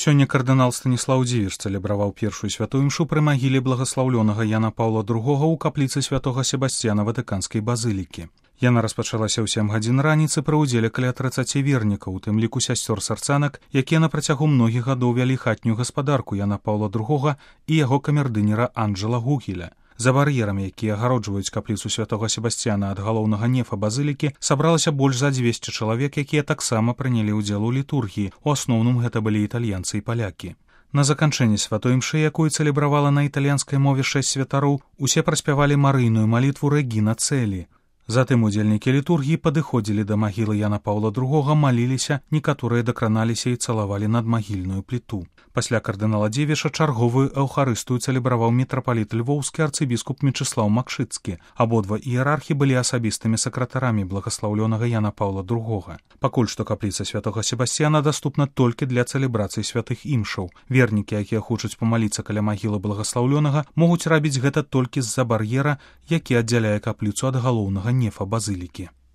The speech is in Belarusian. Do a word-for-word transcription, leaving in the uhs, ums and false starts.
Сёння кардынал Станіслаў Дзівіч цэлебраваў першую святую імшу пры магіле благаслаўлёнага Яна Паўла другога ў капліцы святога Себасцьяна Ватыканскай базылікі. Яна распачалася ў сем гадзін раніцы пры ўдзеле каля трыццаці вернікаў, у тым ліку сясцёр-сарцанак, якія на працягу многіх гадоў вялі хатнюю гаспадарку Яна Паўла другога і яго камердынера Анджэла Гугеля. За бар'ерамі, якія агароджваюць капліцу святога Себасцьяна ад галоўнага нефа базылікі, сабралася больш за дзвесце чалавек, якія таксама прынялі ўдзел у літургіі. У асноўным гэта былі італьянцы і палякі. На заканчэнні святой імшы, якую цэлебравала на італьянскай мове шэсць святароў, усе праспявалі марыйную малітву Рэгіна Цэлі. Затым удзельнікі літургіі падыходзілі да магілы Яна Паўла другога, маліліся, некаторыя дакраналіся і цалавалі надмагільную пліту. Пасля кардынала Дзівіча чарговую эўхарыстыю цэлебраваў мітрапаліт львоўскі арцыбіскуп Мечыслаў Макшыцкі. Абодва іерархі былі асабістымі сакратарамі благаслаўлёнага Яна Паўла другога. Пакуль што капліца святога Себасцьяна даступна толькі для цэлебрацыі святых імшаў. Вернікі, якія хочуць памаліцца каля магілы благаслаўлёнага, могуць рабіць гэта толькі з-за бар'ера, які аддзяляе капліцу ад галоўнага нефа базылікі.